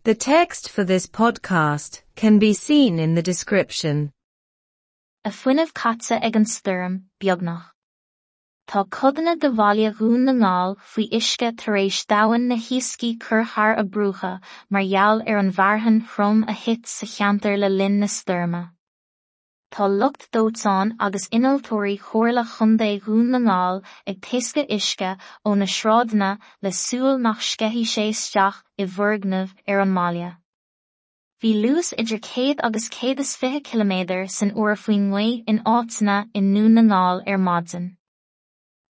The text for this podcast can be seen in the description. A fuinneamh caite ag an stoirm, beagnach. Tá codanna de bhaile Dhún na nGall faoi uisce tar éis d'abhainn na hiascaí cur thar a bruacha mar gheall ar an bhfearthainn throm a thit sa cheantar le linn na stoirme. Tá lucht dóiteáin agus innealtóirí Chomhairle Chontae Dhún na nGall ag taoscadh uisce ó na sráideanna le súil nach sceithfidh sé isteach i bhfoirgnimh ar an mbaile. Bhí luas idir 100 agus 120 ciliméadar san uair faoin ngaoth in áiteanna i nDún na nGall ar maidin.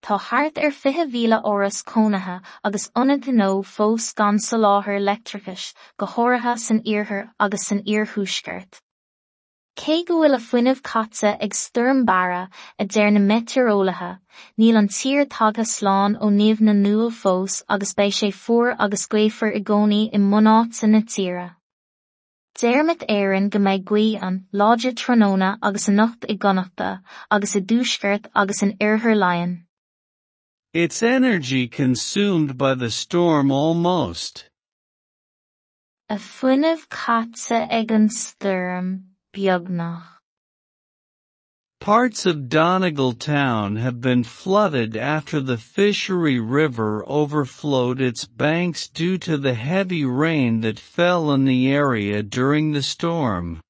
Tá thart ar 20,000 áras cónaithe agus ionad gnó fós gan soláthar leictreachais, go háirithe san iarthar agus san iarthuaisceart. Cé go bhfuil a fuinneamh caite ag Stoirm Barra, a deir na meitéareolaithe, níl an tír tagtha slán ó nimh na ndúl fós agus beidh sé fuar agus gaofar i gcónaí i mbunáite na tíre. Deir Met Éireann go mbeidh gaoth an láidir tráthnóna agus anocht i gConnachta agus i dtuaisceart agus in oirthear Laighean. Its energy consumed by the storm almost. A fuinneamh caite ag an stoirm, beagnach. Parts of Donegal town have been flooded after the Fishery River overflowed its banks due to the heavy rain that fell in the area during the storm.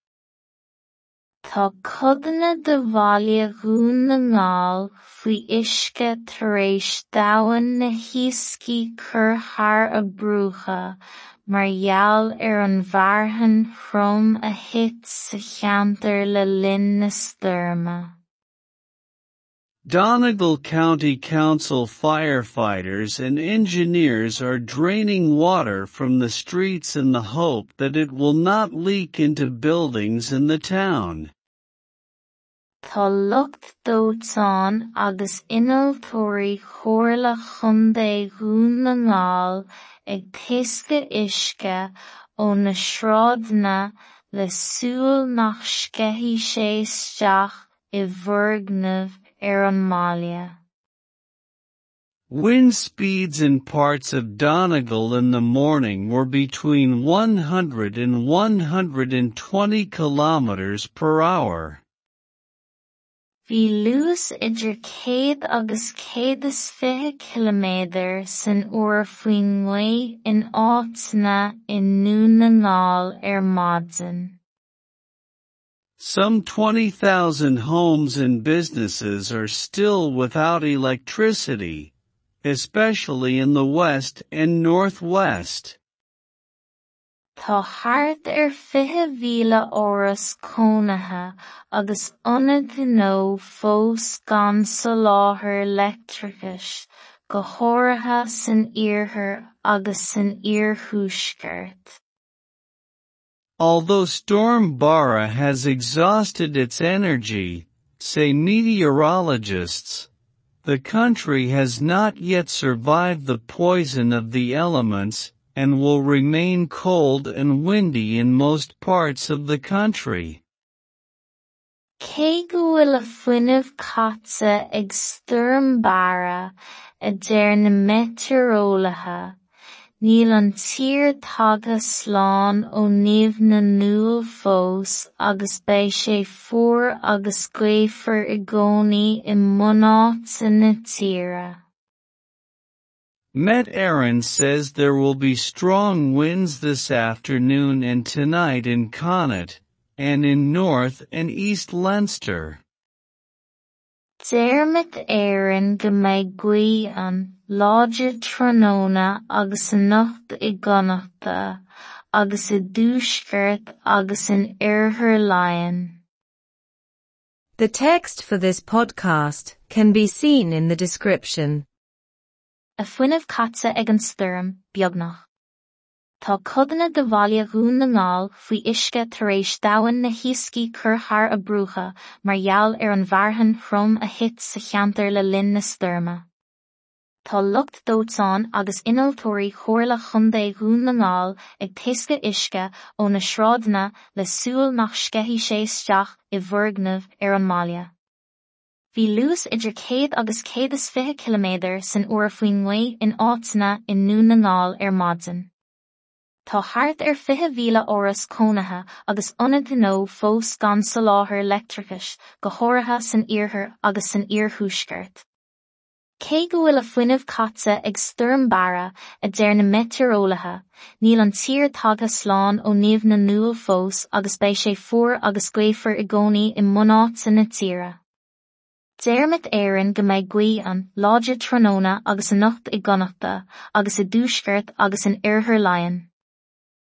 Tá codanna de bhaile Dhún na nGall faoi uisce tar éis d'abhainn na hiascaí cur thar a bruacha mar gheall ar an bhfearthainn throm a thit sa cheantar le linn na stoirme. Donegal County Council firefighters and engineers are draining water from the streets in the hope that it will not leak into buildings in the town. Tá lucht dóiteáin agus innealtóirí Chomhairle Chontae Dhún na nGall ag taoscadh uisce ó na sráideanna le súil nach sceithfidh sé isteach i bhfoirgnimh ar an mbaile. Wind speeds in parts of Donegal in the morning were between 100 and 120 kilometers per hour. Bhí luas idir 100 agus 120 ciliméadar san uair faoin ngaoth in áiteanna i nDún na nGall ar maidin. Some 20,000 homes and businesses are still without electricity, especially in the west and northwest. Tá thart ar 20,000 áras cónaithe agus ionad gnó fós gan soláthar leictreachais, go háirithe san iarthar agus san iarthuaisceart. Although Storm Barra has exhausted its energy, say meteorologists, the country has not yet survived the poison of the elements and will remain cold and windy in most parts of the country. Cé go bhfuil a fuinneamh caite ag Stoirm Barra, a deir na meitéareolaithe, níl an tír tagtha slán ó nimh na ndúl fós agus beidh sé fuar agus gaofar i gcónaí i mbunáite na tíre. Met Éireann says there will be strong winds this afternoon and tonight in Connacht, and in North and East Leinster. Deir Met Éireann go mbeidh gaoth an láidir tráthnóna agus anocht i gConnachta, agus i dtuaisceart agus in oirthear Laighean. The text for this podcast can be seen in the description. A fuinneamh caite ag an stoirm, beagnach. Tá codanna de bhaile Dhún na nGall faoi uisce tar éis d'abhainn na hiascaí cur thar a bruacha mar gheall ar an bhfearthainn throm a thit sa cheantar le linn na stoirme. Tá lucht dóiteáin agus innealtóirí Chomhairle Chontae Dhún na nGall ag taoscadh uisce ó na sráideanna le súil nach sceithfidh sé isteach i bhfoirgnimh ar an mbaile. Bhí luas idir 100 agus 120 ciliméadar san uair faoin ngaoth in áiteanna i nDún na nGall ar maidin. Tá thart ar 20,000 áras cónaithe agus ionad gnó fós gan soláthar leictreachais, go háirithe san iarthar agus san iarthuaisceart. Cé go bhfuil a fuinneamh caite ag Stoirm Barra, a deir na meitéareolaithe, níl an tír tagtha slán ó nimh na ndúl fós agus beidh sé fuar agus gaofar i gcónaí i mbunáite na tíre. Deir Met Éireann go mbeidh gaoth an láidir tráthnóna agus anocht i gConnachta agus i dtuaisceart agus in oirthear Laighean.